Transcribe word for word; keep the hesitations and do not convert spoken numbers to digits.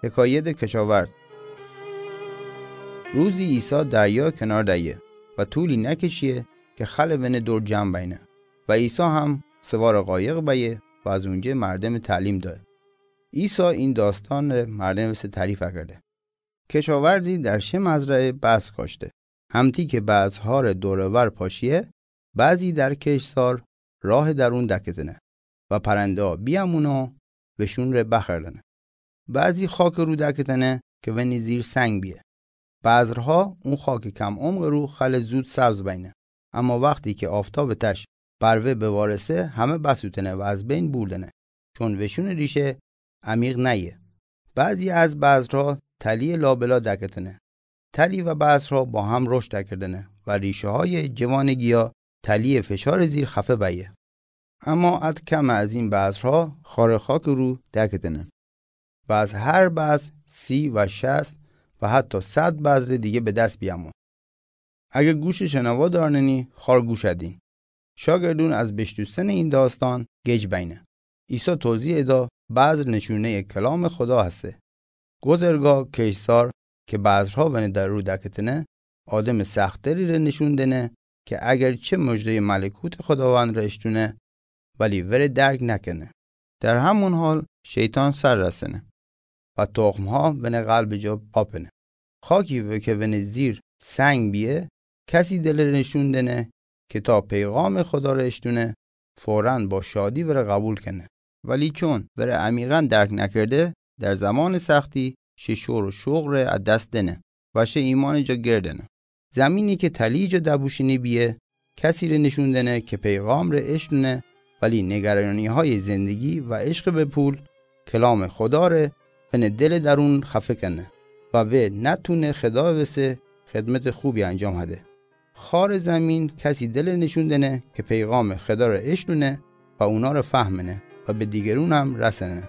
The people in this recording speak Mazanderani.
حکایت کشاورز. روزی عیسی دریا کنار دایه و طولی نکشیه که خل ونه دور جمع بینه. و عیسی هم سوار قایق بایه و از اونجه مردم تعلیم دایه. عیسی این داستان مردم سه تعریف کرده. کشاورزی در شه مزرعه بذر کاشته. همتی که بذرها ره دور و ور پاشیه، بعضی در کشتزار راه درون دکتنه و پرنده ها بیامونه وشون ره بخوردنه. بعضی خاک رو دکتنه که ونی زیر سنگ بیه. بذرها اون خاک کم عمق رو خل زود سبز بینه، اما وقتی که آفتاب تش بر وه بوارسه، همه بسوتنه و از بین بوردنه، چون وشون ریشه عمیق نیه. بعضی از بذرها تلی لابلا دکتنه. تلی و بذرها با هم رشد دکردنه و ریشه های جوان گیا تلی فشار زیر خفه بایه. اما اد کم از این بذرها خار خاک رو دکتنه و از هر بذر سی و شصت و حتی صد بذر دیگه به دست بیامون. اگه گوش شنوا دارنی، خار گوش دین. شاگردون از بشنوستن این داستان گیج بینه. عیسی توضیح دا بذر نشونهٔ کلام خدا هسته. گذرگاه کشتزار که بذرها ونه در رو دکتنه، آدم سخت‌دلی ره نشون دنه که اگر چه مژدهٔ ملکوت خداوند ره اشتونه، ولی وره درک نکنه. در همون حال شیطان سر رسنه و تخم‌ها ونه قلب جا آپنه. خاکی و که ونه زیر سنگ بیه، کسی دل ره نشون دنه که تا پیغام خدا ره اشتونه، فوراً با شادی وره قبول کنه. ولی چون وره عمیقاً درک نکرده، در زمان سختی شه شور و شوق ره از دست دنه و شه ایمان جا گردنه. زمینی که تلی جا دبوشینی بیه، کسی ره نشون دنه که پیغام ره اشتونه، ولی نگرانی‌های زندگی و عشق به پول، کلام خدا ره ونه دل درون خفه کنه و وه نتونه خدا وسه خدمت خوبی انجام هده. خار زمین کسی دل نشون دنه که پیغام خدا ره اشتونه و اونا ره فهمنه و به دیگرون هم رسنه.